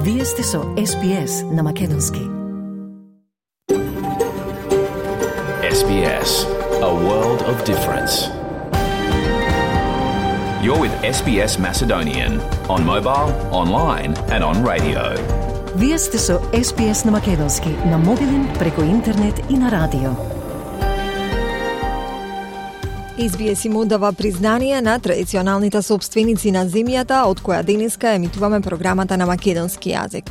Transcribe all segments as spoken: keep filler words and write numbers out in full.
Вие сте со Ес Би Ес на Македонски. Ес Би Ес, a world of difference. You're with Ес Би Ес Macedonian on mobile, online and on radio. Вие сте со Ес Би Ес на Македонски на мобилен, преку интернет и на радио. Ес Би Ес им оддава признание на традиционалните собственици на земјата, од која денеска емитуваме програмата на македонски јазик.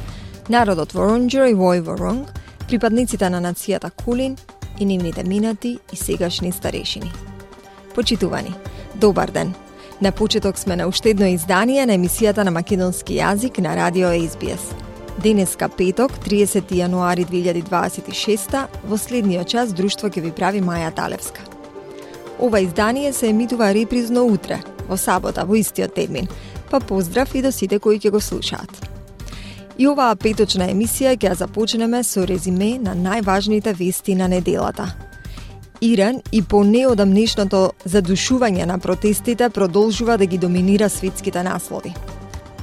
Народот Воронџер и Вој Воронг, припадниците на нацијата Кулин и нивните минати и сегашни старешини. Почитувани, добар ден! На почеток сме на уште едно издание на емисијата на македонски јазик на радио Ес Би Ес. Денеска петок, триесети јануари две илјади дваесет и шеста, во следниот час друштво ќе ви прави Маја Талевска. Ова издание се емитува репризно утре, во сабота, во истиот термин, па поздрав и до сите кои ќе го слушаат. И оваа петочна емисија ќе ја започнеме со резиме на најважните вести на неделата. Иран и по неодамнешното задушување на протестите продолжува да ги доминира светските наслови.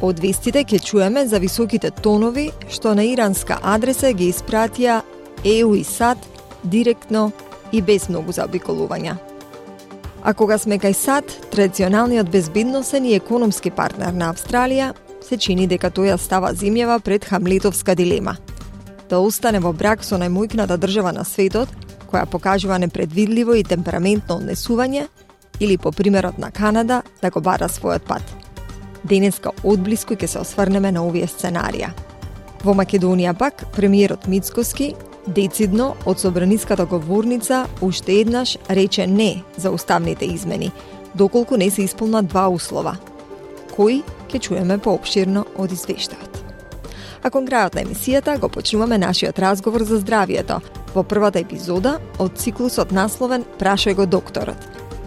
Од вестите ќе чуеме за високите тонови што на иранска адреса ги испратија Е У и САД директно и без многу заобиколувања. А кога сме кај САД, традиционалниот безбедносен и економски партнер на Австралија, се чини дека тој ја става земјава пред хамлетовска дилема. Да остане во брак со најмојкната држава на светот, која покажува непредвидливо и темпераментно однесување, или по примерот на Канада, да го бара својот пат. Денеска одблиску ќе се осврнеме на овие сценарија. Во Македонија пак, премиерот Мицкоски децидно од собраниската говорница уште еднаш рече не за уставните измени, доколку не се исполнат два услова, кои ќе чуеме поопширно од извештајот. А кон крајот на емисијата го почнуваме нашиот разговор за здравието во првата епизода од циклусот насловен Прашај го докторот.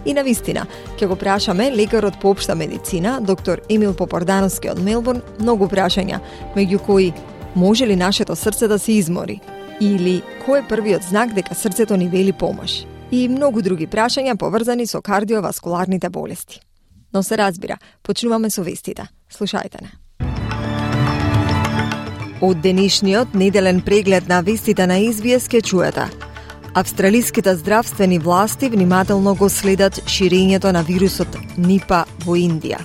И на вистина, ќе го прашаме лекарот по општа медицина, доктор Емил Попордановски од Мелбурн, многу прашања, меѓу кои може ли нашето срце да се измори? Или кој е првиот знак дека срцето ни вели помош? И многу други прашања поврзани со кардиоваскуларните болести. Но се разбира, почнуваме со вестите. Слушајте не. Од денешниот неделен преглед на вестите на Ес Би Ес ке чуете. Австралиските здравствени власти внимателно го следат ширењето на вирусот Нипа во Индија.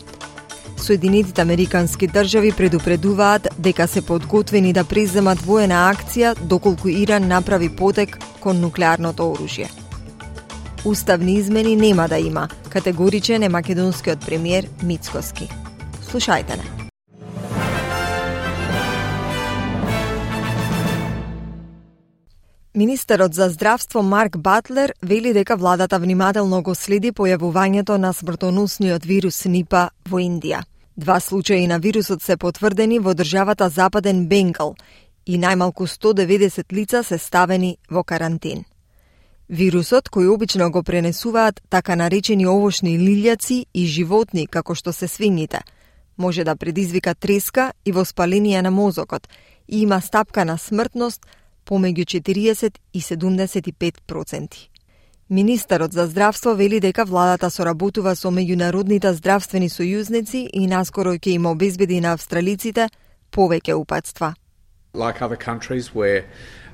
Соединетите американски држави предупредуваат дека се подготвени да преземат воена акција доколку Иран направи потек кон нуклеарното оружје. Уставни измени нема да има, категоричен е македонскиот премиер Мицкоски. Слушајте не. Министерот за здравство Марк Батлер вели дека владата внимателно го следи појавувањето на смртоносниот вирус Нипа во Индија. Два случаи на вирусот се потврдени во државата Западен Бенгал и најмалку сто деветдесет лица се ставени во карантин. Вирусот, кој обично го пренесуваат така наречени овошни лилјаци и животни како што се свињите, може да предизвика треска и воспаление на мозокот и има стапка на смртност помеѓу четириесет и седумдесет и пет проценти. Министерот за здравство вели дека владата соработува со меѓународните здравствени сојузници и наскоро ќе им обезбеди на австралиците повеќе упатства. Like other countries, we're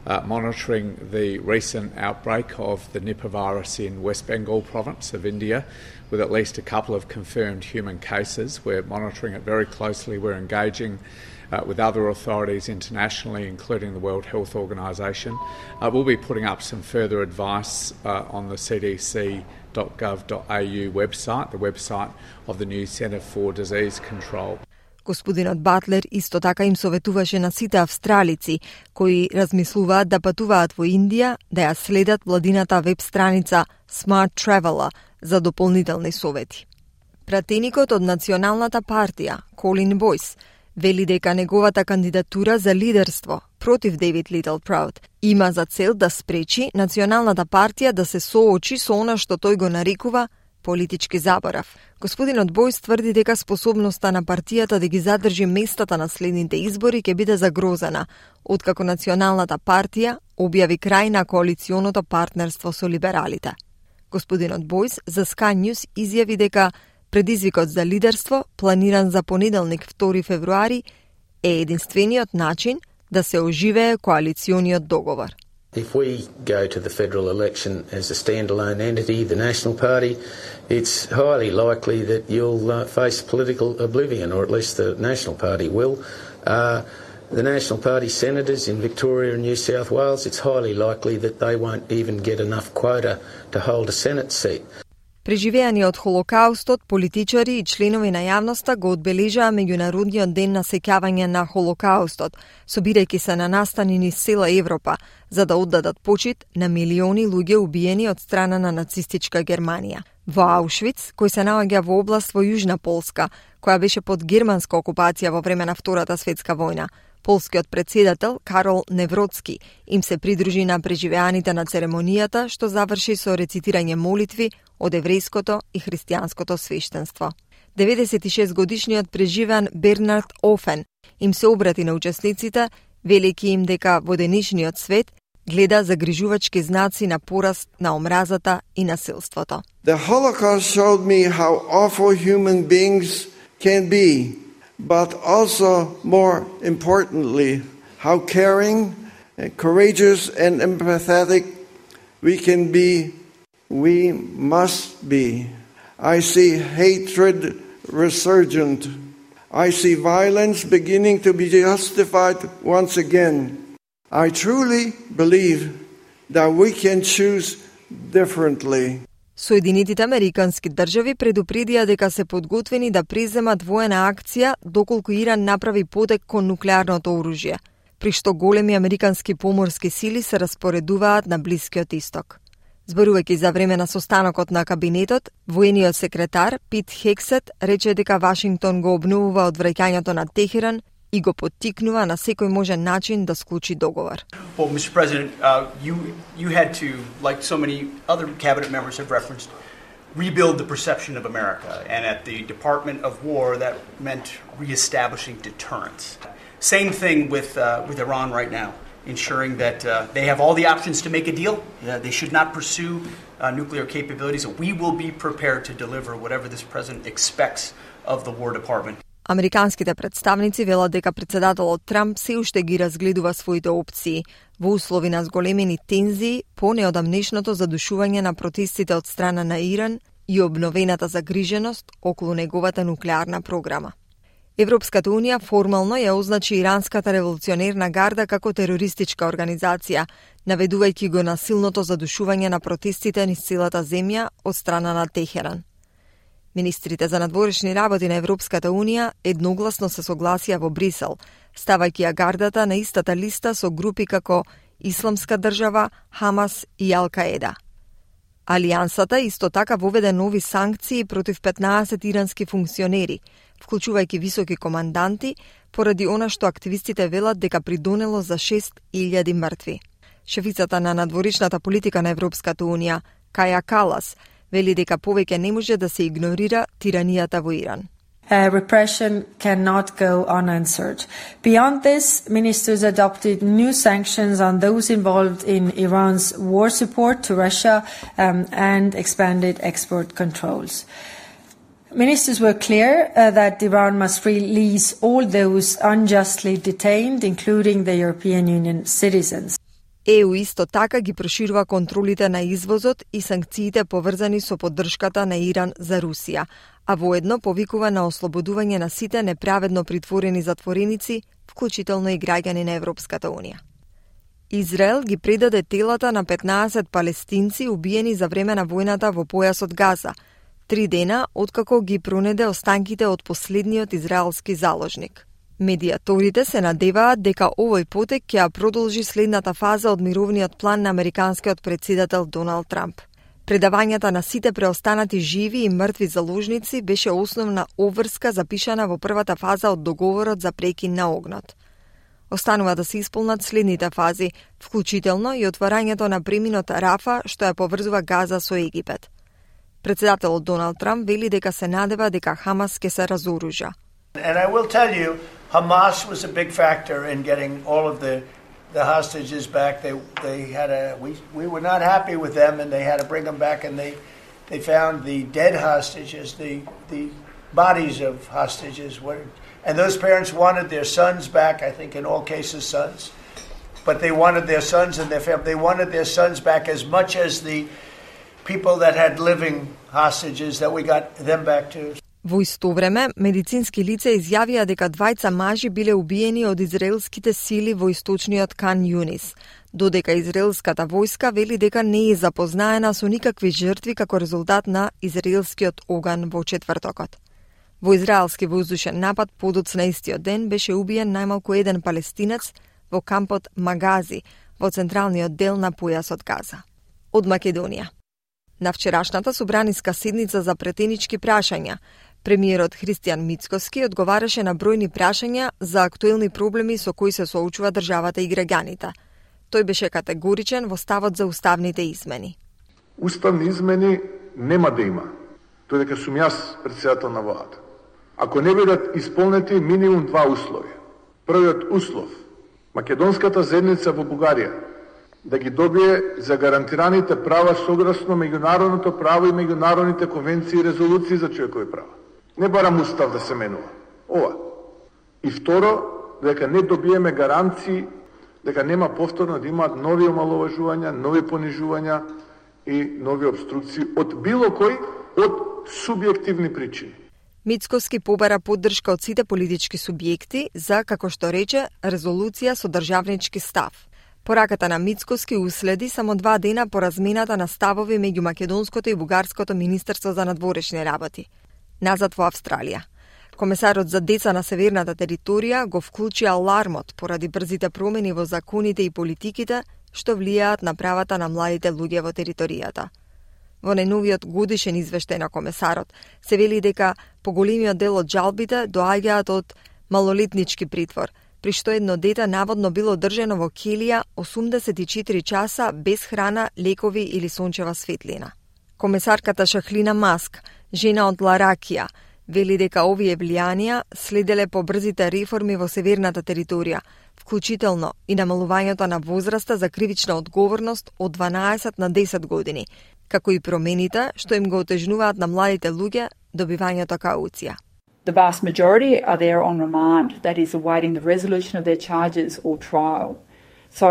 uh, monitoring the recent outbreak of the Nipah virus in West Bengal province of India, with at least a couple of confirmed human cases. We're monitoring it very closely. We're engaging Uh, with other authorities internationally, including the World Health Organization. Uh, we'll be putting up some further advice uh, on the C D C dot gov dot a u website, the website of the new Centre for Disease Control. Господинот Батлер исто така им советуваше на сите австралици кои размислуваат да патуваат во Индија да ја следат владината веб страница Smart Traveller за дополнителни совети. Пратеникот од Националната партија, Колин Бойс, вели дека неговата кандидатура за лидерство против Дейвид Литлпраут има за цел да спречи Националната партија да се соочи со она што тој го нарекува политички заборав. Господинот Бојс тврди дека способноста на партијата да ги задржи местата на следните избори ќе биде загрозена, откако Националната партија објави крај на коалиционото партнерство со либералите. Господинот Бојс за Sky News изјави дека предизвикот за лидерство, планиран за понеделник втори февруари, е единствениот начин да се оживее коалициониот договор. If we go to the federal election as a standalone entity, the National Party, it's highly likely that you'll uh, face political oblivion, or at least the National Party will. Uh, the National Party senators in Victoria and New South Wales, it's highly likely that they won't even get enough quota to hold a Senate seat. Преживеани од Холокаустот, политичари и членови на јавноста го одбележаа меѓународниот ден на сеќавање на Холокаустот, собирајќи се на настани низ цела Европа, за да оддадат почит на милиони луѓе убиени од страна на нацистичка Германија. Во Аушвиц, кој се наоѓа во област во Јужна Полска, која беше под германска окупација во време на Втората светска војна, полскиот председател Карол Невроцки им се придружи на преживеаните на церемонијата, што заврши со рецитирање молитви од еврејското и христијанското свештенство. деветдесет и шест годишниот преживеан Бернард Офен им се обрати на учесниците, велики им дека во денешниот свет гледа загрижувачки знаци на пораст на омразата и насилството. The Holocaust showed me how awful human beings can be, but also, more importantly, how caring, and courageous and empathetic we can be, we must be. I see hatred resurgent. I see violence beginning to be justified once again. I truly believe that we can choose differently. Соединетите Американски држави предупредија дека се подготвени да преземат воена акција доколку Иран направи потек кон нуклеарното оружје, при што големи американски поморски сили се распоредуваат на Блискиот Исток. Зборувајќи за време на состанокот на кабинетот, воениот секретар Пит Хексет рече дека Вашингтон го обновува одвраќањето на Техеран и го поттикнува на секој можен начин да склучи договор. Well, Mister President, uh, you you had to, like so many other cabinet members have referenced, rebuild the perception of America, and at the Department of War that meant reestablishing deterrence. Same thing with uh, with Iran right now, ensuring that uh, they have all the options to make a deal. Uh, they should not pursue uh, nuclear capabilities. We will be prepared to deliver whatever this president expects of the War Department. Американските представници велат дека председателот Трамп се уште ги разгледува своите опции во услови на зголемени тензии по неодамнешното задушување на протестите од страна на Иран и обновената загриженост околу неговата нуклеарна програма. Европската унија формално ја означи Иранската револуционерна гарда како терористичка организација, наведувајќи го на силното задушување на протестите низ целата земја од страна на Техеран. Министрите за надворешни работи на Европската унија едногласно се согласија во Брисел, ставајќи ја гардата на истата листа со групи како Исламска држава, Хамас и Ал-Каеда. Алијансата исто така воведе нови санкции против петнаесет ирански функционери, вклучувајќи високи команданти, поради она што активистите велат дека придонело за шест илјади мртви. Шефицата на надворешната политика на Европската унија, Каја Калас, вели дека повеќе не може да се игнорира тиранијата во Иран. Uh, repression cannot go unanswered. Beyond this, ministers adopted new sanctions on those involved in Iran's war support to Russia um, and expanded export controls. Ministers were clear uh, that Iran must release all those unjustly detained, including the European Union citizens. Е У исто така ги проширува контролите на извозот и санкциите поврзани со поддршката на Иран за Русија, а воедно повикува на ослободување на сите неправедно притворени затвореници, вклучително и граѓани на Европската унија. Израел ги предаде телата на петнаесет палестинци убиени за време на војната во појасот Газа, три дена откако ги пронеде останките од последниот израелски заложник. Медиаторите се надеваат дека овој потек ќе ја продолжи следната фаза од мировниот план на американскиот председател Доналд Трамп. Предавањата на сите преостанати живи и мртви заложници беше основна обврска запишана во првата фаза од договорот за прекин на огнот. Останува да се исполнат следните фази, вклучително и отварањето на преминот Рафа, што ја поврзува Газа со Египет. Председателот Доналд Трамп вели дека се надева дека Хамас ќе се разоружа. And I will tell you, Hamas was a big factor in getting all of the the hostages back. They they had a we we were not happy with them, and they had to bring them back. And they they found the dead hostages, the the bodies of hostages, were, And those parents wanted their sons back, I think in all cases sons, but they wanted their sons and their family. They wanted their sons back as much as the people that had living hostages that we got them back too. Во исто време, медицински лица изјавија дека двајца мажи биле убиени од израелските сили во источниот Кан Юнис, додека израелската војска вели дека не е запознаена со никакви жртви како резултат на израелскиот оган во четвртокот. Во израелски воздушен напад подоцна истиот ден беше убиен најмалку еден палестинец во кампот Магази, во централниот дел на појасот Газа. Од Македонија. На вчерашната собраниска седница за претенички прашања, премиерот Христијан Мицкоски одговараше на бројни прашања за актуелни проблеми со кои се соочува државата и граѓаните. Тој беше категоричен во ставот за уставните измени. Уставни измени нема да има, тој дека сум јас претседател на владата. Ако не бидат исполнети минимум два услови. Првиот услов, македонската заедница во Бугарија да ги добие за гарантираните права согласно меѓународното право и меѓународните конвенции и резолуции за човекови права. Не барам устав да се менува. Ова. И второ, дека не добиеме гаранции дека нема повторно да имаат нови омаловажувања, нови понижувања и нови обструкции од било кој од субјективни причини. Мицкоски побара поддршка од сите политички субјекти за, како што рече, резолуција со државнички став. Пораката на Мицкоски уследи само два дена по размената на ставови меѓу македонското и бугарското министерство за надворешни работи. Назад во Австралија. Комесарот за деца на северната територија го вклучи алармот поради брзите промени во законите и политиките што влијаат на правата на младите луѓе во територијата. Во најновиот годишен извештај на комесарот се вели дека поголемиот дел од жалбите доаѓаат од малолетнички притвор, при што едно дете наводно било држено во келија осумдесет и четири часа без храна, лекови или сончева светлина. Комесарката Шахлина Маск, жена од Ларакија, вели дека овие влијанија следеле по брзите реформи во северната територија, вклучително и намалувањето на возраста за кривична одговорност од дванаесет на десет години, како и промените што им го отежнуваат на младите луѓе добивањето кауција. The vast majority are there on remand, that is, awaiting the resolution of their charges or trial. So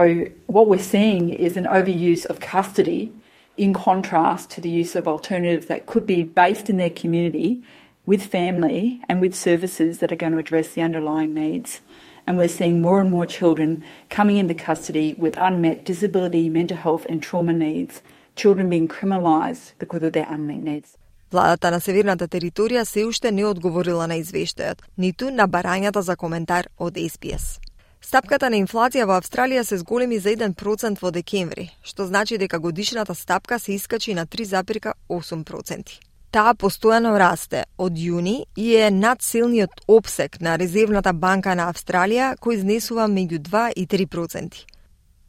what we're seeing is an overuse of custody in contrast to the use of alternatives that could be based in their community with family and with services that are going to address the underlying needs. And we're seeing more and more children coming into custody with unmet disability, mental health and trauma needs, children being criminalised because of their unmet needs. Владата на северната територија се уште не одговорила на извештајот, ниту на барањата за коментар од Ес Би Ес. Стапката на инфлација во Австралија се зголеми за еден процент во декември, што значи дека годишната стапка се искачи на три запирка осум проценти. Таа постојано расте од јуни и е над силниот опсек на Резервната банка на Австралија, кој изнесува меѓу два и три проценти.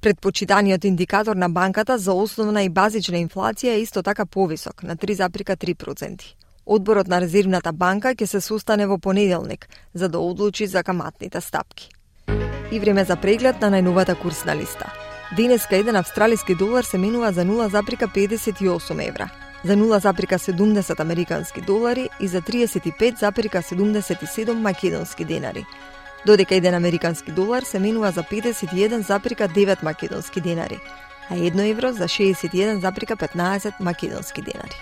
Предпочитаниот индикатор на банката за основна и базична инфлација е исто така повисок, на три запирка три проценти. Одборот на Резервната банка ќе се состане во понеделник за да одлучи за каматните стапки. И време за преглед на најновата курсна листа. Денеска еден австралиски долар се менува за нула запирка педесет и осум евра, за нула запирка седумдесет американски долари и за триесет и пет запирка седумдесет и седум македонски денари. Додека еден американски долар се менува за педесет и еден запирка девет македонски денари, а едно евро за шеесет и еден запирка петнаесет македонски денари.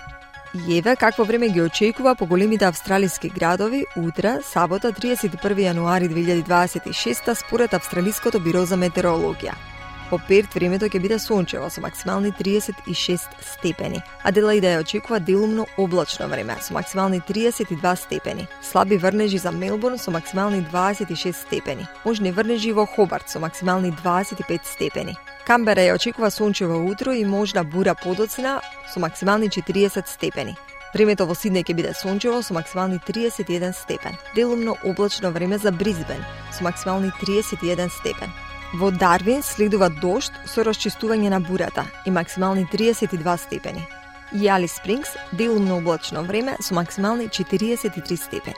И еве какво време ги очекува по големите австралиски градови утре, сабота, триесет и први јануари две илјади дваесет и шеста, според Австралиското биро за метеорологија. По Перт времето ќе биде сончево со максимални триесет и шест степени. Аделаида ја очекува делумно облачно време со максимални триесет и два степени. Слаби врнежи за Мелбурн со максимални дваесет и шест степени. Можни врнежи во Хобарт со максимални дваесет и пет степени. Камбера ја очекува сончево утро и можна бура подоцна со максимални четириесет степени. Времето во Сиднеј ќе биде сончево со максимални триесет и еден степен. Делумно облачно време за Брисбен со максимални триесет и еден степен. Во Дарвин следува дожд со расчистување на бурата и максимални триесет и два степени. И Алис Спрингс делумно облачно време со максимални четириесет и три степени.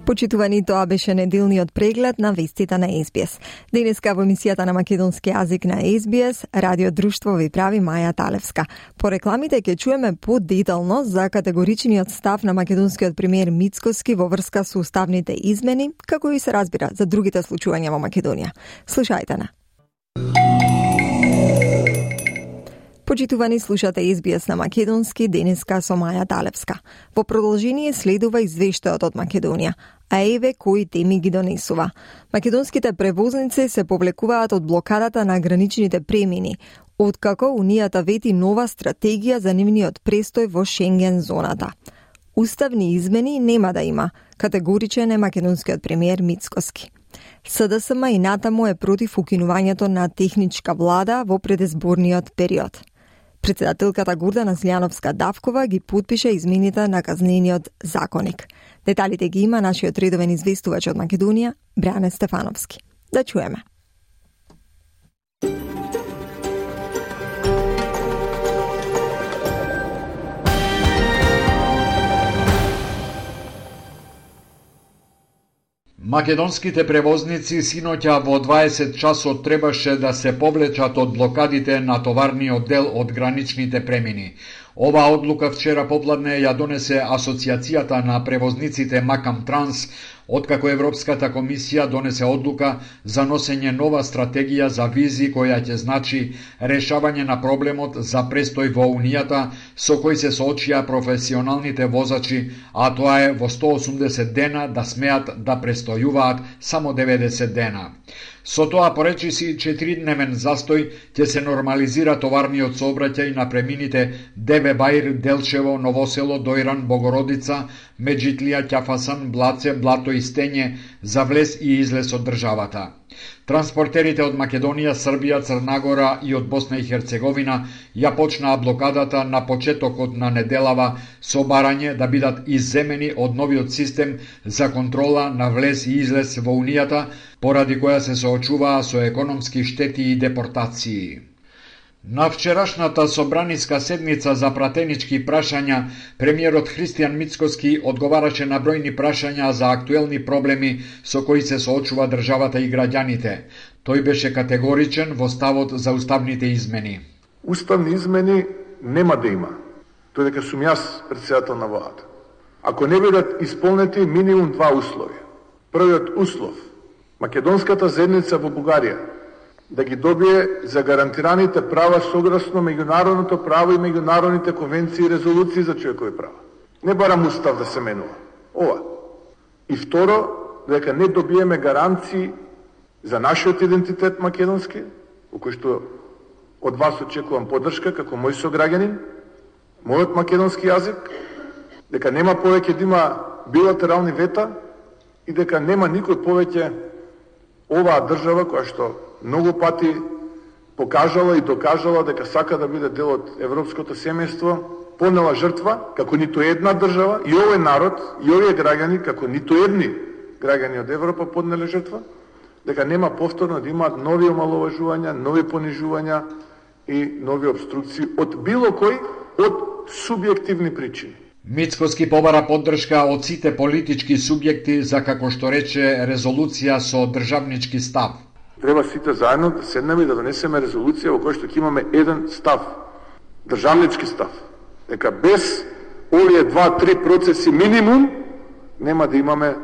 Почитувани, тоа беше неделниот преглед на вестите на Ес Би Ес. Денеска во емисијата на македонски јазик на Ес Би Ес, Радио Друштво ви прави Маја Талевска. По рекламите ќе чуеме подетално за категоричниот став на македонскиот премиер Мицкоски во врска со уставните измени, како и се разбира за другите случувања во Македонија. Слушајте на. Почитувани, слушате Ес Би Ес на македонски, денеска со Маја Талевска. Во продолжение следува извештајот од Македонија, а еве кои теми ги донесува. Македонските превозници се повлекуваат од блокадата на граничните премини, откако Унијата вети нова стратегија за нивниот престој во Шенген зоната. Уставни измени нема да има, категоричен е македонскиот премиер Мицкоски. С Д С М и натаму е против укинувањето на техничка влада во предизборниот период. Председателката Гордана Злјановска-Давкова ги подпише измените на казнениот законник. Деталите ги има нашиот редовен известувач од Македонија, Бране Стефановски. Да чуеме. Македонските превозници синоќа во дваесет часот требаше да се повлечат од блокадите на товарниот дел од граничните премини. Оваа одлука вчера попладне ја донесе Асоциацијата на превозниците Макам Транс, откако Европската комисија донесе одлука за носење нова стратегија за визи која ќе значи решавање на проблемот за престој во Унијата со кој се соочија професионалните возачи, а тоа е во сто осумдесет дена да смеат да престојуваат само деветдесет дена. Со тоа, поречи си, четиридневен застој ќе се нормализира товарниот сообраќај на премините Деве Баир, Делчево, Новосело, Дојран, Богородица, Меджитлија, Ќафасан, Блаце, Блато и Стење за влез и излез од државата. Транспортерите од Македонија, Србија, Црнагора и од Босна и Херцеговина ја почнаа блокадата на почетокот на неделава со барање да бидат изземени од новиот систем за контрола на влез и излез во Унијата, поради која се соочуваа со економски штети и депортации. На вчерашната собраниска седница за пратенички прашања, премиерот Христијан Мицкоски одговараше на бројни прашања за актуелни проблеми со кои се соочува државата и граѓаните. Тој беше категоричен во ставот за уставните измени. Уставни измени нема да има. Тој дека сум јас председател на владата. Ако не бидат исполнети минимум два услови. Првиот услов, македонската заедница во Бугарија да ги добие за гарантираните права согласно меѓународното право и меѓународните конвенции и резолуции за човекови права. Не барам устав да се менува. Ова. И второ, дека не добиеме гаранции за нашиот идентитет македонски, во кој што од вас очекувам поддршка како мој сограѓанин, мојот македонски јазик, дека нема повеќе да има билатерални вета и дека нема никој повеќе оваа држава која што многу пати покажала и докажала дека сака да биде дел од европското семејство, понела жртва, како ниту една држава, и овој народ, и овие граѓани, како ниту едни граѓани од Европа поднеле жртва, дека нема повторно да имаат нови омаловажувања, нови понижувања и нови обструкции од било кој од субјективни причини. Мицкоски побара поддршка од сите политички субјекти за, како што рече, резолуција со државнички став. Треба сите заедно да седнеме и да донесеме резолуција во која што ќе имаме еден став, државнички став, дека без овие два-три процеси минимум нема да имаме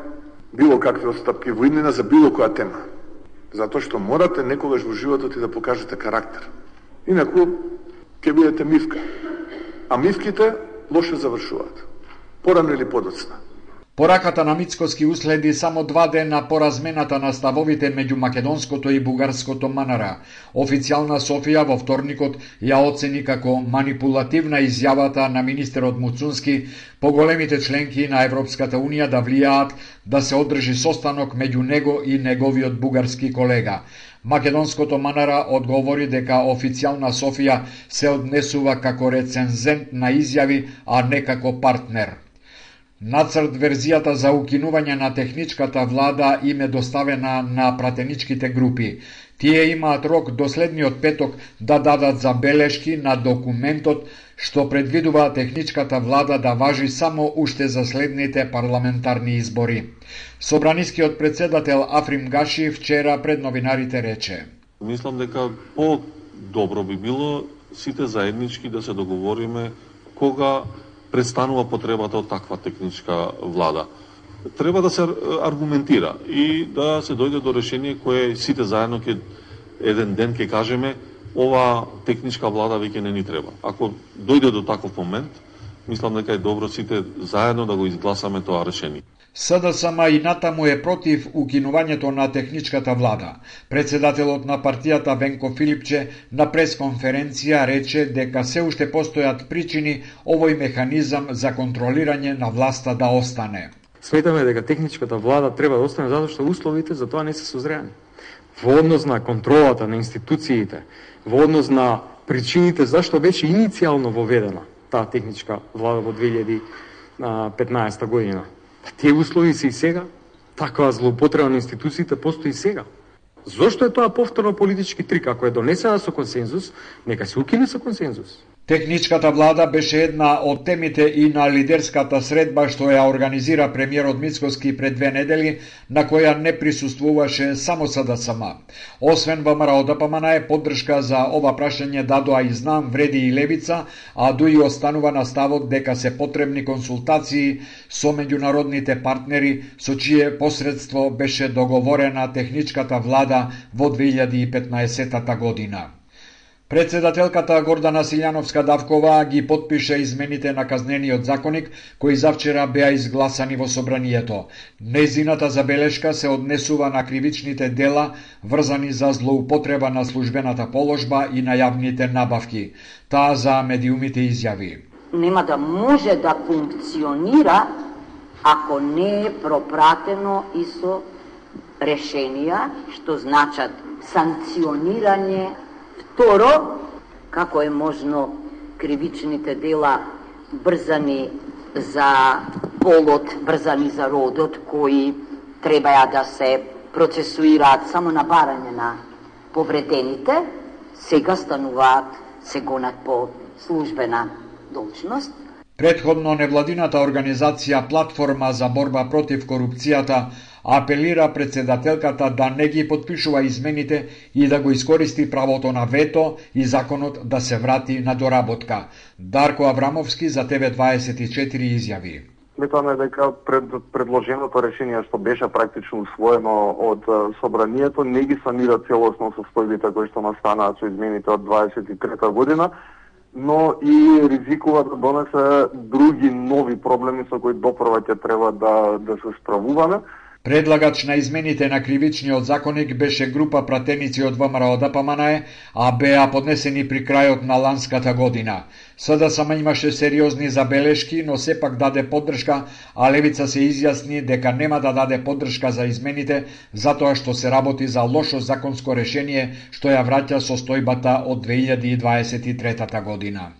било какви отстапки во иднина за било која тема. Затоа што морате некогаш во животот и да покажете карактер. Инаку ќе бидете мивка. А мивките лошо завршуваат. Порано или подоцна. Пораката на Мицкоски уследи само два дена по размената на ставовите меѓу македонското и бугарското МНР. Официјална Софија во вторникот ја оцени како манипулативна изјавата на министерот Муцунски поголемите членки на Европската Унија да влијаат да се одржи состанок меѓу него и неговиот бугарски колега. Македонското МНР одговори дека официјална Софија се однесува како рецензент на изјави, а не како партнер. Нацрт верзијата за укинување на техничката влада им е доставена на пратеничките групи. Тие имаат рок до следниот петок да дадат забелешки на документот што предвидува техничката влада да важи само уште за следните парламентарни избори. Собранискиот председател Африм Гаши вчера пред новинарите рече: Мислам дека по-добро би било сите заеднички да се договориме кога престанува потребата од таква техничка влада. Треба да се аргументира и да се дојде до решение кое сите заедно ќе еден ден ќе кажеме ова техничка влада веќе не ни треба. Ако дојде до таков момент, мислам дека е добро сите заедно да го изгласаме тоа решение. СДСМ и натаму е против укинувањето на техничката влада. Председателот на партијата Венко Филипче на пресконференција рече дека се уште постојат причини овој механизам за контролирање на власта да остане. Сметаме дека техничката влада треба да остане затоа што условите за тоа не се созреани. Во однос на контролата на институциите, во однос на причините зашто беше иницијално воведена таа техничка влада во две илјади и петнаесета година. Тие услови се и сега. Таква злоупотреба на институциите постои и сега. Зошто е тоа повторно политички трик? Ако е донесена со консензус, нека се укине со консензус. Техничката влада беше една од темите и на лидерската средба што ја организира премиерот Мицкоски пред две недели, на која не присуствуваше само СДСМ. Освен ВМРО Д П М Н е поддршка за ова прашање дадоа и Знам, Вреди и Левица, а дуи останува на ставот дека се потребни консултации со меѓународните партнери со чие посредство беше договорена техничката влада во две илјади и петнаесета година. Председателката Гордана Силјановска-Давкова ги потпише измените на казнениот законник кои завчера беа изгласани во собранието. Незината забелешка се однесува на кривичните дела врзани за злоупотреба на службената положба и на јавните набавки. Таа за медиумите изјави: Нема да може да функционира ако не е пропратено и со решенија што значат санкционирање. Второ, како е можно кривичните дела брзани за полот, брзани за родот, кои требаја да се процесуираат само на барање на повредените, сега стануваат, се гонат по службена должност. Предходно невладината организација Платформа за борба против корупцијата апелира председателката да не ги потпишува измените и да го искористи правото на вето и законот да се врати на доработка. Дарко Аврамовски за Т В дваесет и четири изјави: Сметаме дека пред предложеното решение што беше практично усвоено од собранието не ги санира целосно состојбите кои што настанаат со измените од дваесет и трета година, но и ризикува да донесе други нови проблеми со кои допрва ќе треба да да се справуваме. Предлагач на измените на кривичниот законник беше група пратеници од ВМРО Д П М Н е, а беа поднесени при крајот на ланската година. СДСМ имаше сериозни забелешки, но сепак даде поддршка, а Левица се изјасни дека нема да даде поддршка за измените, затоа што се работи за лошо законско решение што ја враќа состојбата од две илјади и дваесет и трета година.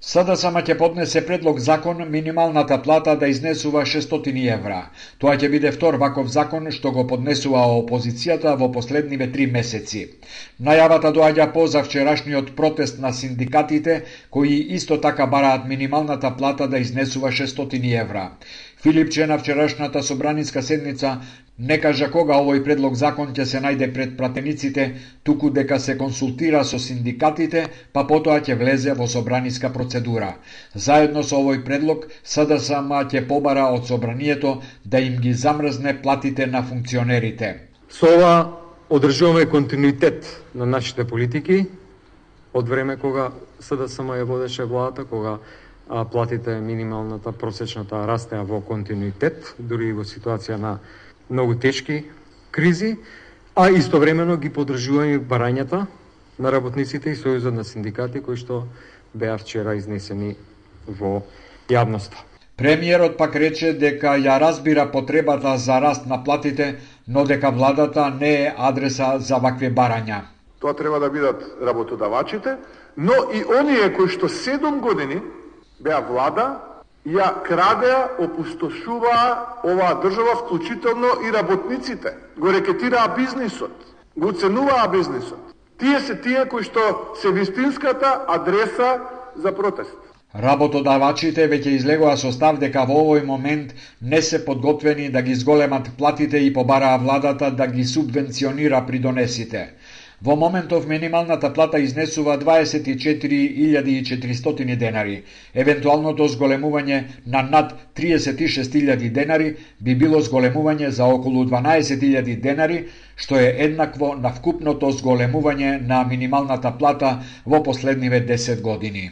СДСМ ќе поднесе предлог закон минималната плата да изнесува шестстотини евра. Тоа ќе биде втор ваков закон што го поднесува опозицијата во последниве три месеци. Најавата доаѓа по завчерашниот протест на синдикатите, кои исто така бараат минималната плата да изнесува шестстотини евра. Филипче на вчерашната собраниска седница не кажа кога овој предлог закон ќе се најде пред пратениците, туку дека се консултира со синдикатите, па потоа ќе влезе во собраниска процедура. Заедно со овој предлог, СДСМ ќе побара од собранието да им ги замрзне платите на функционерите. Со ова одржуваме континуитет на нашите политики од време кога СДСМ ја водеше владата, кога а платите минималната просечната растеа во континуитет, дури и во ситуација на многу тешки кризи, а истовремено ги поддржуваме барањата на работниците и Сојузот на синдикати кои што беа вчера изнесени во јавноста. Премиерот пак рече дека ја разбира потребата за раст на платите, но дека владата не е адреса за вакви барања. Тоа треба да бидат работодавачите, но и оние кои што седум години беа влада, ја крадеа, опустошуваа оваа држава, вклучително и работниците. Го рекетираа бизнисот. го уценуваа бизнисот. Тие се тие кои што се вистинската адреса за протест. Работодавачите веќе излегоа со став дека во овој момент не се подготвени да ги зголемат платите и побараа владата да ги субвенционира придонесите. Во моментов минималната плата изнесува дваесет и четири илјади и четиристотини денари. Евентуалното зголемување на над триесет и шест илјади денари би било зголемување за околу дванаесет илјади денари, што е еднакво на вкупното зголемување на минималната плата во последниве десет години.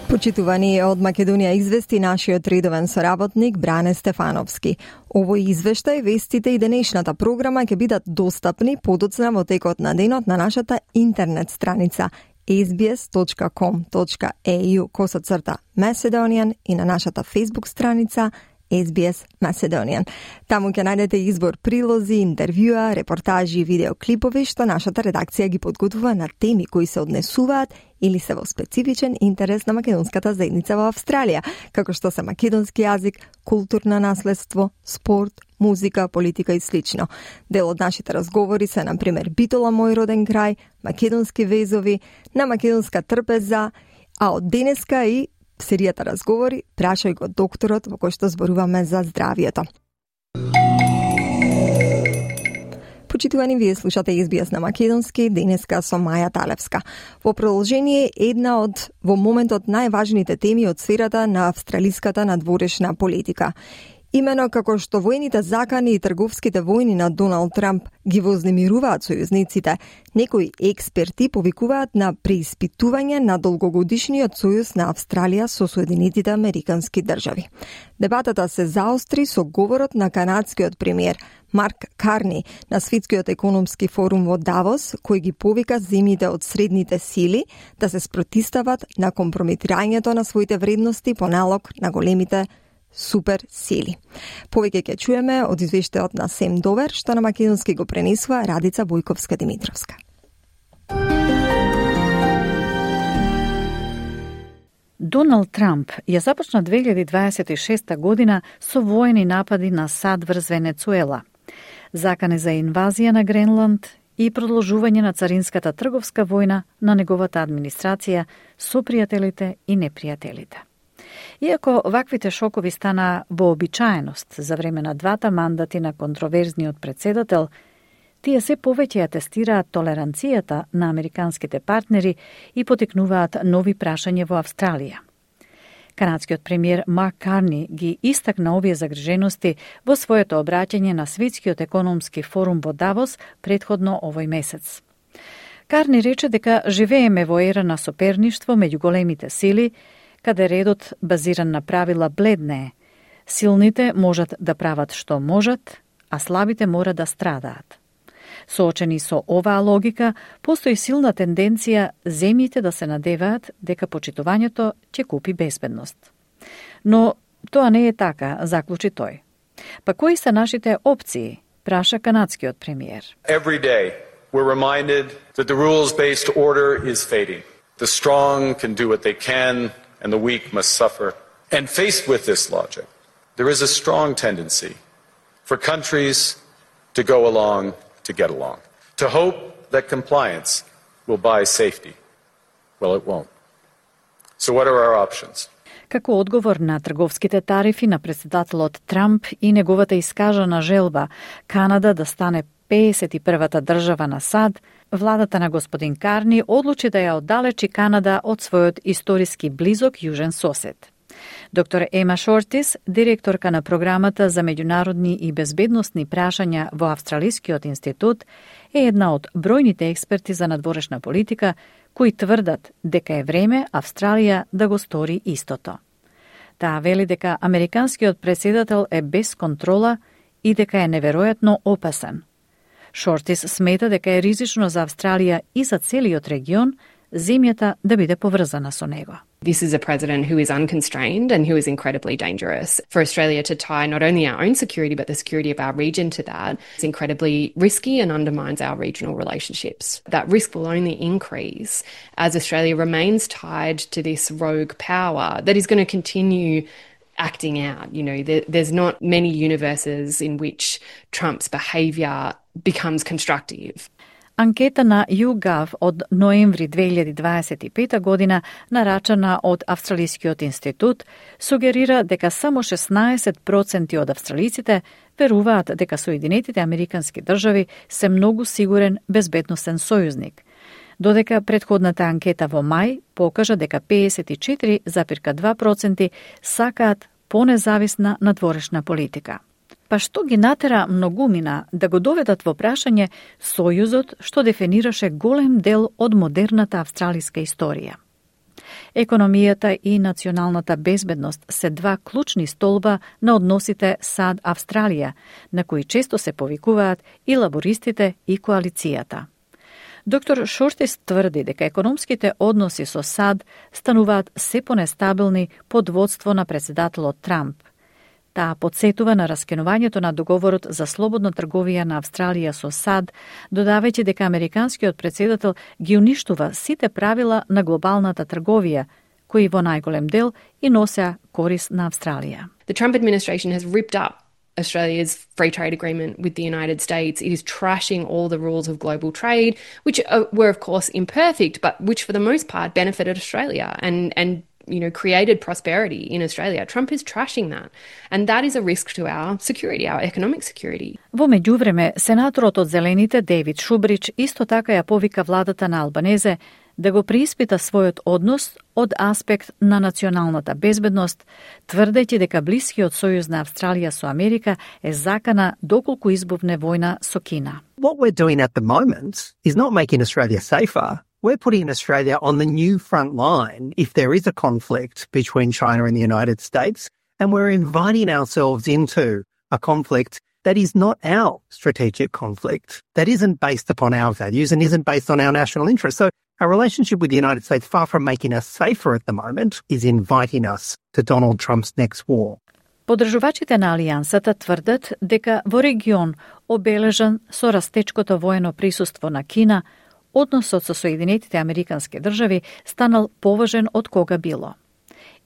Почитувани, од Македонија извести нашиот редовен соработник Бране Стефановски. Овој извештај, вестите и денешната програма ќе бидат достапни подоцна во текот на денот на нашата интернет страница ес би ес точка ком точка е ю косацрта Macedonian и на нашата Facebook страница ес би ес Macedonian. Таму ќе најдете избор прилози, интервјуа, репортажи и видеоклипови што нашата редакција ги подготвува на теми кои се однесуваат или се во специфичен интерес на македонската заедница во Австралија, како што се македонски јазик, културно наследство, спорт, музика, политика и слично. Дел од нашите разговори се, на пример, Битола, мој роден крај, македонски везови, на македонска трпеза, а од денеска и серијата разговори Прашај го докторот, во кој што зборуваме за здравието. Почитувани, вие слушате ес би ес на македонски, денеска со Маја Талевска. Во продолжение, една од во моментот најважните теми од сферата на австралиската надворешна политика. Имено како што војните закани и трговските војни на Доналд Трамп ги вознемируваат сојузниците, некои експерти повикуваат на преиспитување на долгогодишниот сојуз на Австралија со Соединетите Американски држави. Дебатата се заостри со говорот на канадскиот премиер Марк Карни на Светскиот економски форум во Давос, кој ги повика земјите од средните сили да се спротистават на компрометирањето на своите вредности по налог на големите супер сили. Повеќе ќе чуеме од извештајот на Сем Довер, што на македонски го пренесува Радица Бојковска-Димитровска. Доналд Трамп ја започна две илјади дваесет и шеста година со воени напади на САД врз Венецуела, закани за инвазија на Гренланд и продолжување на царинската трговска војна на неговата администрација со пријателите и непријателите. Иако ваквите шокови стана вообичаеност за време на двата мандати на контроверзниот председател, тие се повеќе ја тестираат толеранцијата на американските партнери и потекнуваат нови прашања во Австралија. Канадскиот премиер Марк Карни ги истакна овие загрижености во своето обраќање на Светскиот економски форум во Давос претходно овој месец. Карни рече дека живееме во ера на соперништво меѓу големите сили, каде редот базиран на правила бледнее. Силните можат да прават што можат, а слабите мора да страдаат. Соочени со оваа логика, постои силна тенденција земјите да се надеваат дека почитувањето ќе купи безбедност. Но тоа не е така, заклучи тој. Па кои се нашите опции, праша канадскиот премиер. Every day we're reminded that the rules-based order is fading. The strong can do what they can, and the weak must suffer. And faced with this logic, there is a strong tendency for countries to go along to get along, to hope that compliance will buy safety. Well, it won't. So what are our options? Како одговор на трговските тарифи на председателот Трамп и неговата искажана желба Канада да стане педесет и првата држава на САД, владата на господин Карни одлучи да ја оддалечи Канада од својот историски близок јужен сосед. Доктор Ема Шортис, директорка на програмата за меѓународни и безбедносни прашања во Австралискиот институт, е една од бројните експерти за надворешна политика кои тврдат дека е време Австралија да го стори истото. Таа вели дека американскиот претседател е без контрола и дека е неверојатно опасен. Шортис смета дека е ризично за Австралија и за целиот регион земјата да биде поврзана со него. This is a president who is unconstrained and who is incredibly dangerous. For Australia to tie not only our own security but the security of our region to that is incredibly risky and undermines our regional relationships. That risk will only increase as Australia remains tied to this rogue power that is going to continue acting out. You know, there, there's not many universes in which Trump's behaviour becomes constructive. Анкета на YouGov од ноември две илјади дваесет и пета година, нарачана од Австралискиот институт, сугерира дека само шеснаесет проценти од австралиците веруваат дека Соединетите Американски држави се многу сигурен безбедносен сојузник, додека претходната анкета во мај покажа дека пеесет и четири запирка два проценти сакаат понезависна надворешна политика. Па што ги натера многумина да го доведат во прашање сојузот што дефинираше голем дел од модерната австралиска историја? Економијата и националната безбедност се два клучни столба на односите САД-Австралија, на кои често се повикуваат и лабористите и коалицијата. Доктор Шортис тврди дека економските односи со САД стануваат се понестабилни под водство на председателот Трамп. Таа подсетува на раскинувањето на договорот за слободна трговија на Австралија со САД, додавајќи дека американскиот председател ги уништува сите правила на глобалната трговија, кои во најголем дел и носеа корис на Австралија. The Trump administration has ripped up Australia's free trade agreement with the United States. It is trashing all the rules of global trade, which uh, were of course imperfect, but which for the most part benefited Australia and and you know, created prosperity in Australia. Trump is trashing that. And that is a risk to our security, our economic security. Во меѓувреме, сенаторот од Зелените Дейвид Шубрич исто така ја повика владата на Албанезе да го преиспита својот однос од аспект на националната безбедност, тврдејќи дека блискиот сојуз на Австралија со Америка е закана доколку избувне војна со Кина. What we're doing at the moment is not making Australia safer. We're putting Australia on the new front line if there is a conflict between China and the United States, and we're inviting ourselves into a conflict that is not our strategic conflict, that isn't based upon our values and isn't based on our national interests. So our relationship with the United States, far from making us safer at the moment, is inviting us to Donald Trump's next war. Подржувачите на Алијансата тврдат дека во регион обележан со растечкото воено присуство на Кина, односот со Соединетите Американски држави станал поважен од кога било.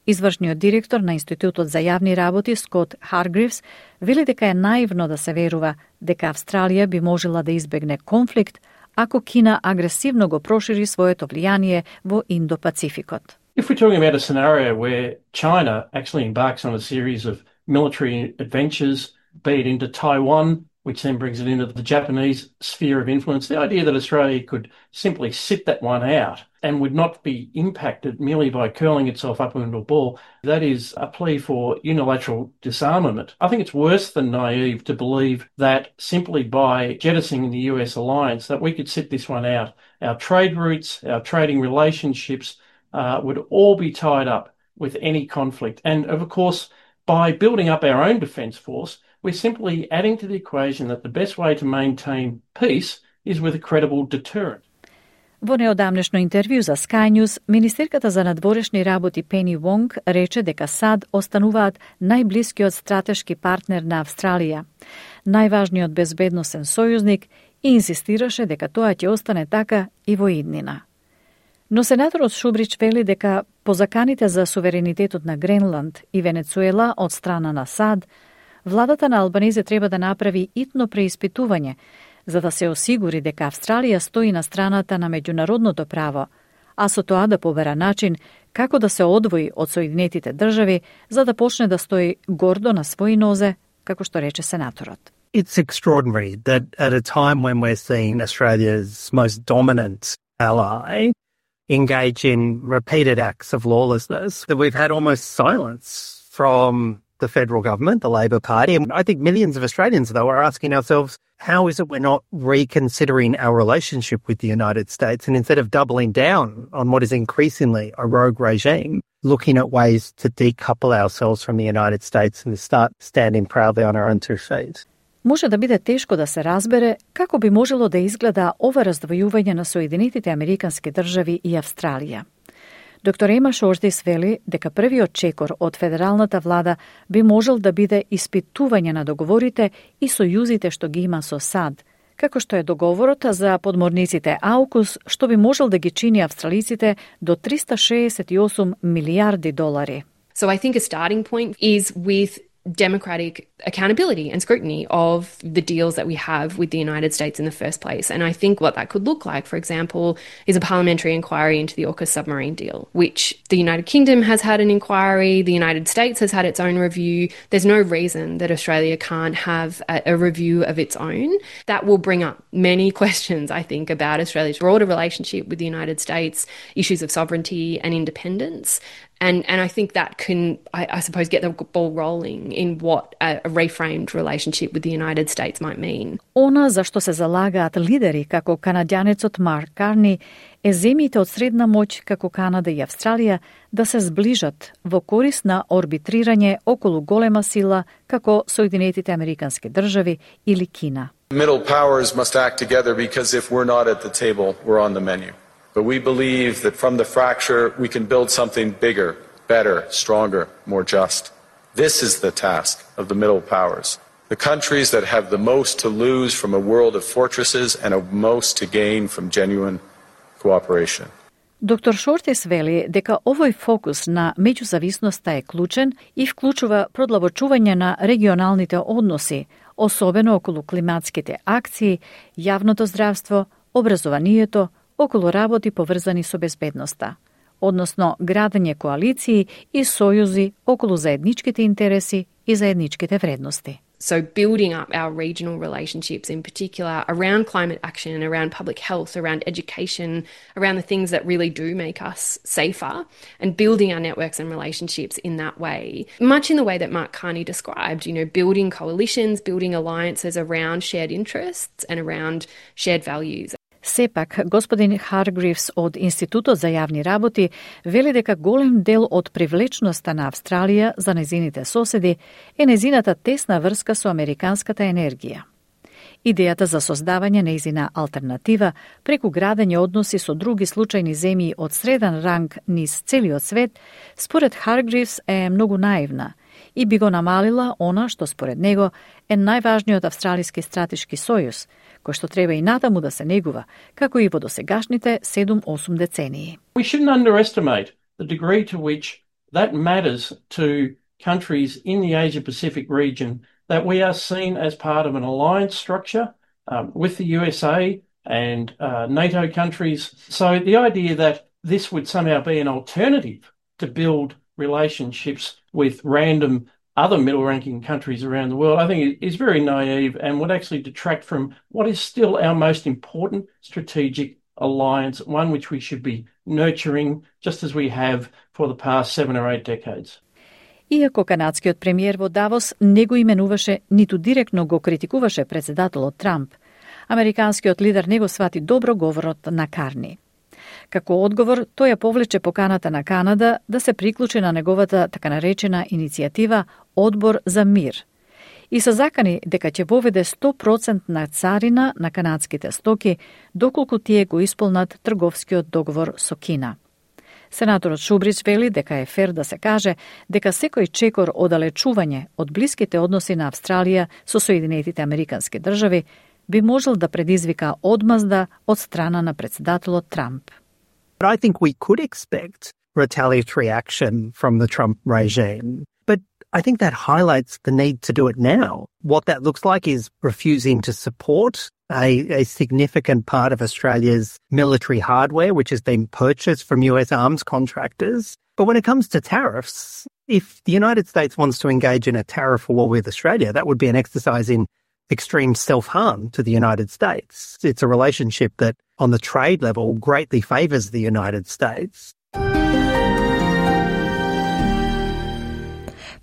Извршниот директор на Институтот за јавни работи Скот Харгривс вели дека е наивно да се верува дека Австралија би можела да избегне конфликт ако Кина агресивно го прошири своето влијание во Индо-Пацификот. If we're talking about a scenario where China actually embarks on a series of military adventures, be it into Taiwan, which then brings it into the Japanese sphere of influence, the idea that Australia could simply sit that one out and would not be impacted merely by curling itself up into a ball, that is a plea for unilateral disarmament. I think it's worse than naive to believe that simply by jettisoning the U S alliance that we could sit this one out. Our trade routes, our trading relationships uh, would all be tied up with any conflict. And of course, by building up our own defence force, we're simply adding to the equation that the best way to maintain peace is with a credible deterrent. Во неодамнешно интервју за Sky News, министерката за надворешни работи Пени Вонг рече дека САД остануваат најблискиот стратешки партнер на Австралија, најважниот безбедносен сојузник и инсистираше дека тоа ќе остане така и во иднина. Но сенаторот Шубрич вели дека по заканите за суверенитетот на Гренланд и Венецуела од страна на САД, владата на Албанезе треба да направи итно преиспитување, за да се осигури дека Австралија стои на страната на меѓународното право, а со тоа да побера начин како да се одвои од Соединетите држави, за да почне да стои гордо на своји нозе, како што рече сенаторот. It's extraordinary that at a time when we're seeing Australia's most dominant ally engage in repeated acts of lawlessness, that we've had almost silence from the federal government, the Labor Party. And I think millions of Australians, though, are asking ourselves, how is it we're not reconsidering our relationship with the United States, and instead of doubling down on what is increasingly a rogue regime, looking at ways to decouple ourselves from the United States and to start standing proudly on our own two feet? Може да биде тешко да се разбере како би можело да изгледа ова раздвојување на Соединетите Американски држави и Австралија. Доктор Ема Шортис вели дека првиот чекор од федералната влада би можел да биде испитување на договорите и сојузите што ги има со САД, како што е договорот за подморниците Аукус, што би можел да ги чини австралиците до триста шеесет и осум милијарди долари. So I think a starting point is with democratic accountability and scrutiny of the deals that we have with the United States in the first place. And I think what that could look like, for example, is a parliamentary inquiry into the AUKUS submarine deal, which the United Kingdom has had an inquiry, the United States has had its own review. There's no reason that Australia can't have a, a review of its own. That will bring up many questions, I think, about Australia's broader relationship with the United States, issues of sovereignty and independence. And, and I think that can, I, I suppose, get the ball rolling in what a, a reframed relationship with the United States might mean. Она за што се залагаат лидери како канадјанецот Марк Карни е земјите од средна моќ како Канада и Австралија да се зближат во корист на орбитрирање околу голема сила како Соединетите Американски држави или Кина. Middle powers must act together because if we're not at the table, we're on the menu. But we believe that from the fracture, we can build something bigger, better, stronger, more just. This is the task of the middle powers. The countries that have the most to lose from a world of fortresses and a most to gain from genuine cooperation. Доктор Шортис вели дека овој фокус на меѓузависноста е клучен и вклучува продлабочување на регионалните односи, особено околу климатските акции, јавното здравство, образованието, околу работи поврзани со безбедноста, односно градење коалиции и сојузи околу заедничките интереси и заедничките вредности. So building up our regional relationships in particular around climate action, around public health, around education, around the things that really do make us safer, and building our networks and relationships in that way. Much in the way that Mark Carney described, you know, building coalitions, building alliances around shared interests and around shared values. Сепак, господин Харгривс од Институтот за јавни работи вели дека голем дел од привлечноста на Австралија за незините соседи е незината тесна врска со американската енергија. Идејата за создавање нејзина алтернатива преку градење односи со други случајни земји од среден ранг низ целиот свет, според Харгривс е многу наивна и би го намалила она што според него е најважниот австралиски стратешки сојуз, кој што треба и натаму да се негува, како и во досегашните седум-осум децении. We shouldn't underestimate the degree to which that matters to countries in the Asia-Pacific region, that we are seen as part of an alliance structure um, with the U S A and uh, NATO countries. So the idea that this would somehow be an alternative to build relationships with random other middle-ranking countries around the world, I think is very naive and would actually detract from what is still our most important strategic alliance, one which we should be nurturing just as we have for the past seven or eight decades. Иако канадскиот премиер во Давос не го именуваше, ниту директно го критикуваше председателот Трамп, американскиот лидер не го свати добро говорот на Карни. Како одговор, тој ја повлече поканата на Канада да се приклучи на неговата така наречена иницијатива Одбор за мир и се закани дека ќе воведе сто проценти царина на канадските стоки доколку тие го исполнат трговскиот договор со Кина. Сенаторот Шубрич вели дека е фер да се каже дека секој чекор оддалечување од блиските односи на Австралија со Соединетите Американски држави би можел да предизвика одмазда од страна на председателот Трамп. I think we could expect retaliatory action from the Trump regime, but I think that highlights the need to do it now. What that looks like is refusing to support a, a significant part of Australia's military hardware, which has been purchased from U S arms contractors. But when it comes to tariffs, if the United States wants to engage in a tariff war with Australia, that would be an exercise in extreme self-harm to the United States. It's a relationship that, on the trade level, greatly favours the United States.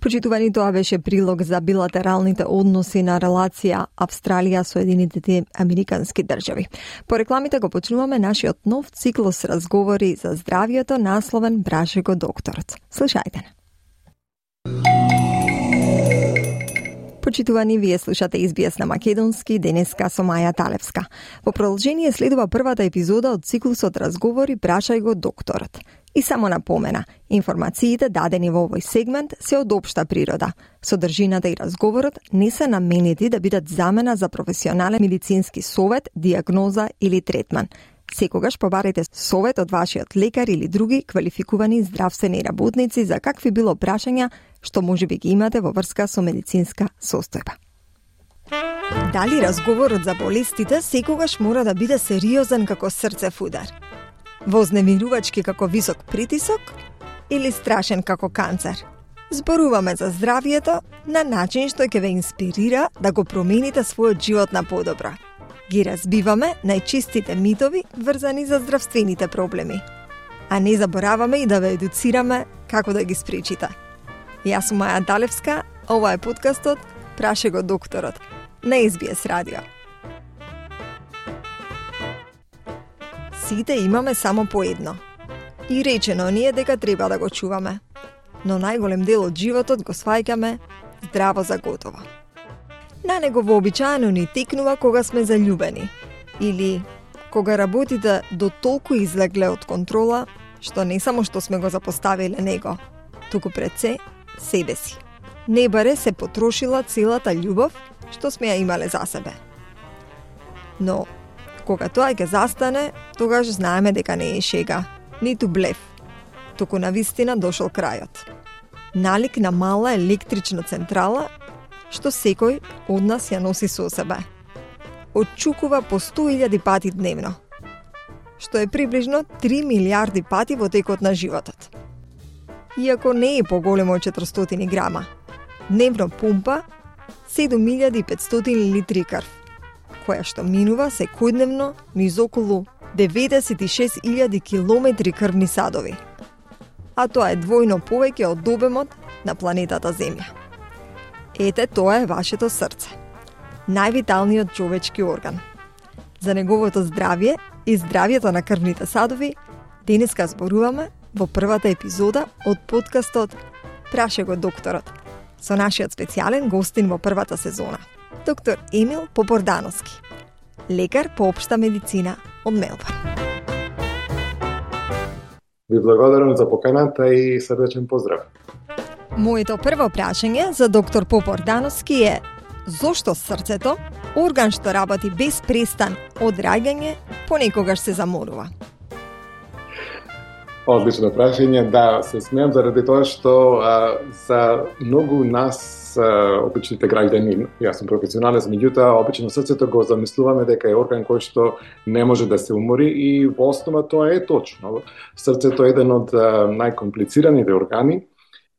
Почитувани, тоа беше прилог за билатералните односи на релација Австралија-Соединетите Американски држави. По рекламите го почнуваме нашиот нов циклус разговори за здравието, насловен Браше го докторот. Слушајте. Почитувани, вие слушате Ес Би Ес на македонски, денеска со Маја Талевска. Во продолжение следува првата епизода од циклусот разговори Прашај го докторот. И само напомена, информациите дадени во овој сегмент се од општа природа. Содржината и разговорот не се наменети да бидат замена за професионален медицински совет, диагноза или третман. Секогаш побарете совет од вашиот лекар или други квалификувани здравствени работници за какви било прашања што можеби ги имате во врска со медицинска состојба. Дали разговорот за болестите секогаш мора да биде сериозен како срцев удар? Вознемирувачки како висок притисок или страшен како канцер? Зборуваме за здравието на начин што ќе ве инспирира да го промените својот живот на подобро. Ги разбиваме најчистите митови врзани за здравствените проблеми. А не забораваме и да ве едуцираме како да ги спречите. Јас сум Маја Далевска, ова е подкастот Праше го докторот на Ес Би Ес Радио. Сите имаме само по едно. И речено ни е дека треба да го чуваме. Но најголем дел од животот го сваќаме здраво за готово. На него вообичаено ни текнува кога сме заљубени или кога работите до толку излегле од контрола што не само што сме го запоставиле него, туку пред се себе си. Не баре се потрошила целата љубов што сме ја имале за себе. Но кога тоа ќе застане, тогаш знаеме дека не е шега, ниту блеф, туку навистина дошол крајот. Налик на мала електрична централа што секој од нас ја носи со себе. Отчукува по сто илјади пати дневно, што е приближно три милиарди пати во текот на животот. Иако не е поголемо од четиристотини грама, дневно пумпа седум илјади и петстотини литри крв, која што минува секојдневно низ околу деветдесет и шест илјади километри крвни садови. А тоа е двојно повеќе од обемот на планетата Земја. Ете, тоа е вашето срце. Највиталниот човечки орган. За неговото здравје и здравјето на крвните садови денеска зборуваме во првата епизода од подкастот Праше го докторот со нашиот специјален гостин во првата сезона, доктор Емил Попордановски, лекар по општа медицина од Мелбурн. Ви благодарам за поканата и срдечен поздрав. Моето прво прашање за доктор Попордановски е: зошто срцето, орган што работи без престан од раѓање, понекогаш се заморува? Одлично прашање, да, се смеам заради тоа што а, за многу нас, а, обичните граѓани, јас сум професионалец, меѓутоа обично срцето го замислуваме дека е орган кој што не може да се умори и во основа тоа е точно. Срцето е еден од а, најкомплицираните органи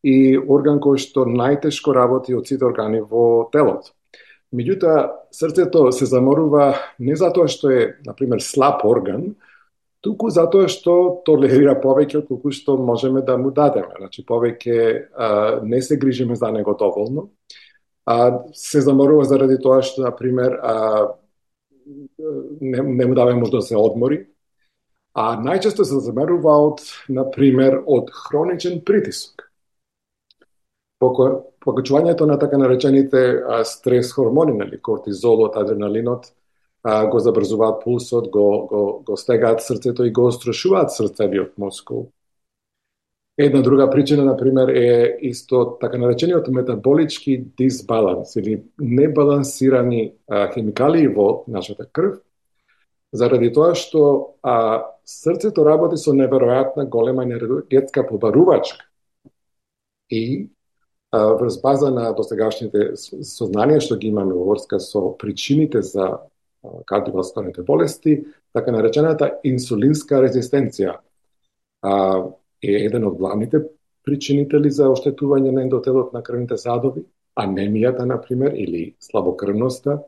и орган кој што најтешко работи од сите органи во телото. Меѓутоа, срцето се заморува не затоа што е, например, слаб орган, туку затоа што толерира повеќе од колку што можеме да му дадеме. Значи, повеќе а, не се грижиме за него доволно. А, се заморува заради тоа што, например, а, не, не му даваме можда да се одмори. А најчесто се заморува од, например, од хроничен притисок. Покачувањето на така наречените а, стрес хормони, нели, кортизолот, адреналинот, а, го забрзуваат пулсот, го, го, го стегаат срцето и го острашуваат срцевиот мускул. Една друга причина, например, е исто така наречениот метаболички дисбаланс или небалансирани а, хемикалии во нашата крв, заради тоа што а, срцето работи со неверојатна голема енергетска побарувачка и врз база на досегашните сознанија што ги имаме во врска со причините за кардиоваскуларните болести, така наречената инсулинска резистенција е еден од главните причинители за оштетување на ендотелот на крвните садови, анемијата, например, или слабокрвноста.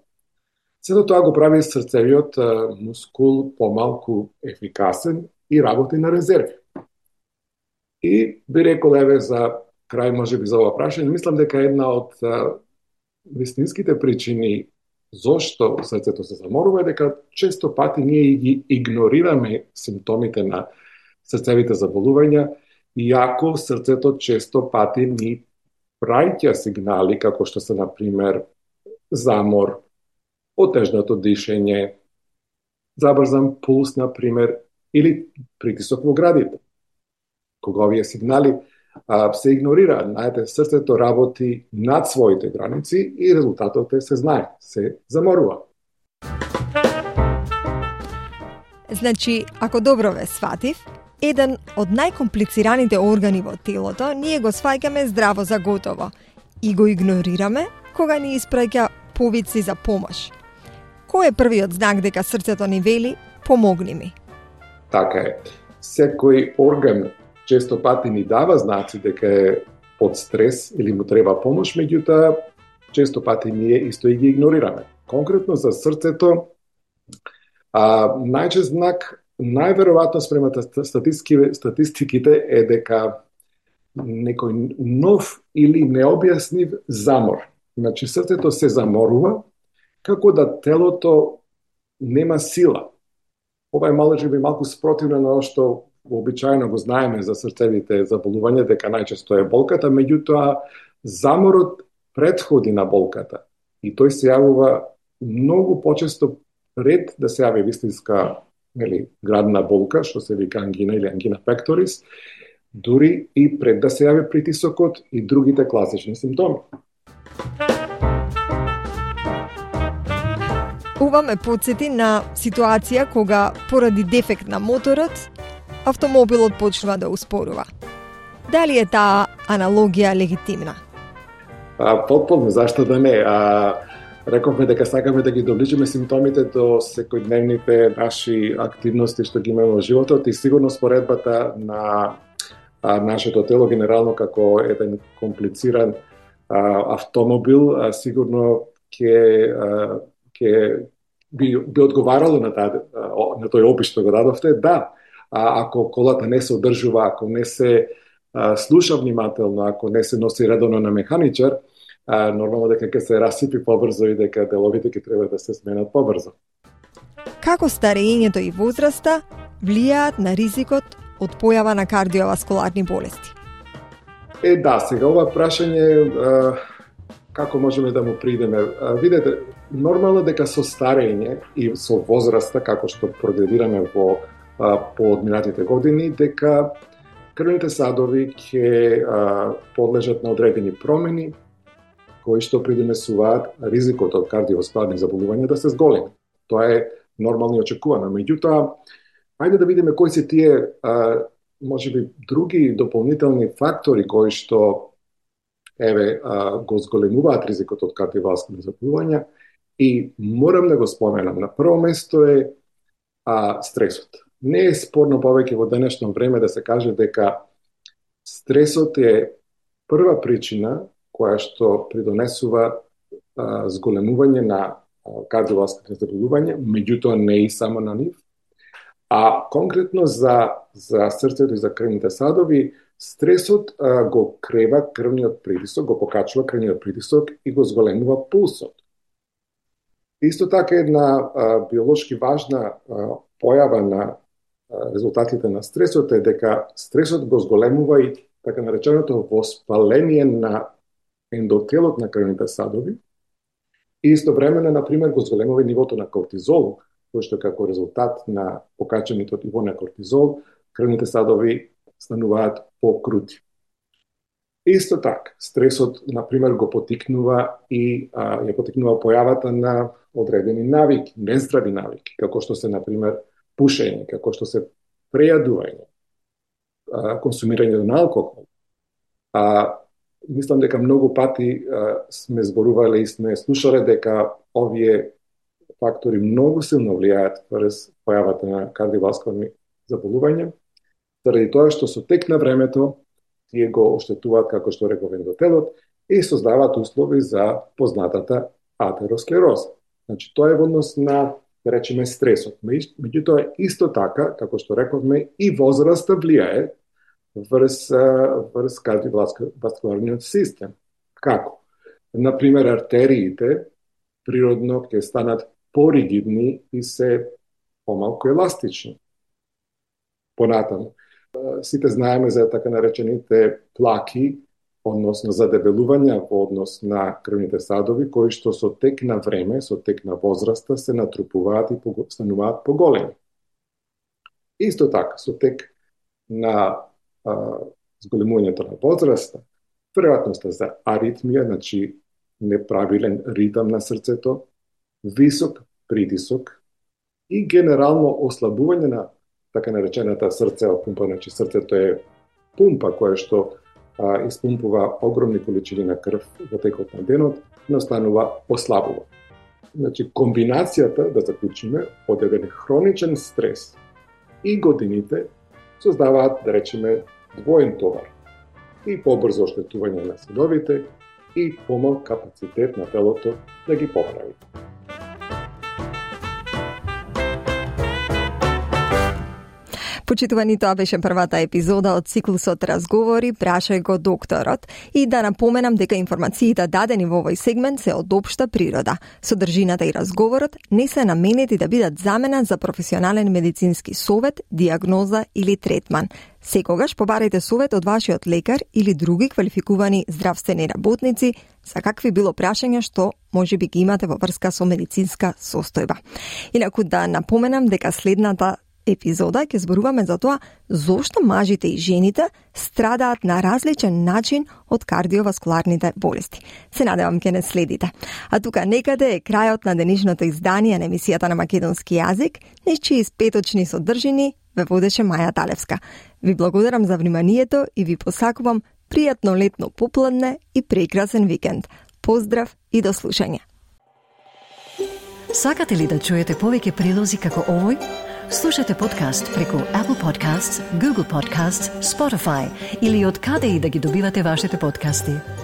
Сето тоа го прави срцевиот мускул помалку ефикасен и работи на резерви. И би рекол, еве, за крај може би за ова прашање, мислам дека една од а, вистинските причини зошто срцето се заморува е дека често пати ние ги игнорираме симптомите на срцевите заболувања, иако срцето често пати ни праќа сигнали како што се, например, замор, отежнато дишење, забрзан пулс, например, или притисок во градите. Кога овие сигнали а, се игнорира, знаете, срцето работи над своите граници и резултатот е се знае, се заморува. Значи, ако добро ве сватив, еден од најкомплицираните органи во телото ние го сваќаме здраво за готово и го игнорираме кога ни испраќа повици за помош. Кој е првиот знак дека срцето ни вели помогни ми? Така е. Секој орган често пати ни дава знаци дека е под стрес или му треба помош, меѓутоа често пати ние исто и ги игнорираме. Конкретно за срцето, а, најчест знак, најверојатно спрема статистиките е дека некој нов или необјаснив замор. Значи срцето се заморува, како да телото нема сила. Ова е може би малку спротивно на што обичајно го знаеме за срцевите заболувања, дека најчесто е болката, меѓутоа заморот претходи на болката и тој се јавува многу почесто пред да се јави вистинска, нели, градна болка, што се вика ангина или ангина пекторис, дури и пред да се јави притисокот и другите класични симптоми. Ова ме потсети на ситуација кога поради дефект на моторот, автомобилот почнува да успорува. Дали е таа аналогија легитимна? А, потполно, зашто да не? А, рековме дека сакаме да ги доближиме симптомите до секојдневните наши активности што ги имаме во животот и сигурно споредбата на а, нашето тело генерално како еден комплициран а, автомобил, а, сигурно ќе ќе би, би одговарало на, таа, на тој опис што го дадовте. Да, а, ако колата не се одржува, ако не се а, слуша внимателно, ако не се носи редовно на механичар, а, нормално дека ќе се расипи побрзо и дека деловите ќе треба да се сменат побрзо. Како старењето и возраста влијаат на ризикот од појава на кардиоваскуларни болести? Е, да, сега ова прашање а, како можеме да му придеме? А, видете, нормално дека со старење и со возраста, како што прогредираме во а, по одминатите години, дека крвните садови ќе а, подлежат на одредени промени кои што придонесуваат ризикот од кардиоваскуларни заболувања да се зголеми. Тоа е нормално и очекувано. Меѓутоа, ајде да видиме кои се тие а, можеби други дополнителни фактори кои што еве а, го зголемуваат ризикот од кардиоваскуларни заболувања и морам да го споменам. На прво место е а, стресот. Не е спорно повеќе во денешно време да се каже дека стресот е прва причина која што придонесува а, зголемување на кардиоваскуларни заболувања, меѓутоа не и само на нив. А конкретно за, за срцето и за крвните садови, стресот а, го крева крвниот притисок, го покачува крвниот притисок и го зголемува пулсот. Исто така една а, биолошки важна а, појава на а, резултатите на стресот е дека стресот го зголемува и така нареченото воспаление на ендотелот на крвните садови и истовремено, например, го зголемува и нивото на кортизол, кој што како резултат на покачаното ниво на кортизол, крвните садови стануваат покрути. Исто така, стресот, например, го потикнува и а, ја потикнува појавата на одредени навики, нездрави навики, како што се, например, пушење, како што се прејадување, а, консумирање на алкохол. А, мислам дека многу пати а, сме зборувале и сме слушале дека овие фактори многу силно влијаат врз појавата на кардиоваскуларни заболувања, заради тоа што со тек на времето тие го оштетуваат, како што реков, ендотелот и создаваат услови за познатата атеросклероза. Значи, тоа е во однос на, да речеме, стресот. Меѓутоа, исто така, како што рековме, и возраста влијае врз, врз кардиоваскуларниот систем. Како? Например, артериите природно ќе станат поригидни и се помалку еластични. Понатаму, сите знаеме за така наречените плаки, односно задебелувања во однос на крвните садови, кои што со тек на време, со тек на возраста се натрупуваат и стануваат поголеми. Исто така, со тек на а, зголемувањето на возраста, веројатноста за аритмија, значи неправилен ритам на срцето, висок притисок и генерално ослабување на така наречената срцева пумпа. Значи срцето е пумпа која што а, испумпува огромни количини на крв во текот на денот, настанува ослабува. Значи комбинацијата, да заклучиме, од еден хроничен стрес и годините создаваат, да речеме, двоен товар. И побрзо оштетување на следовите и помал капацитет на телото да ги поправи. Почитувани, тоа беше првата епизода од циклусот Разговори, прашај го докторот. И да напоменам дека информациите дадени во овој сегмент се од општа природа. Содржината и разговорот не се наменети да бидат замена за професионален медицински совет, диагноза или третман. Секогаш побарајте совет од вашиот лекар или други квалификувани здравствени работници за какви било прашања што може би ги имате во врска со медицинска состојба. Инаку да напоменам дека следната епизода ќе зборуваме за тоа зошто мажите и жените страдаат на различен начин од кардиоваскуларните болести. Се надевам ќе не следите. А тука некаде е крајот на денешното издание на емисијата на македонски јазик, нечии испеточни содржини ве водеше Маја Талевска. Ви благодарам за вниманието и ви посакувам пријатно летно попладне и прекрасен викенд. Поздрав и до слушање. Сакате ли да чуете повеќе прилози како овој? Слушате подкаст преку Apple Podcasts, Google Podcasts, Spotify или од каде и да ги добивате вашите подкасти.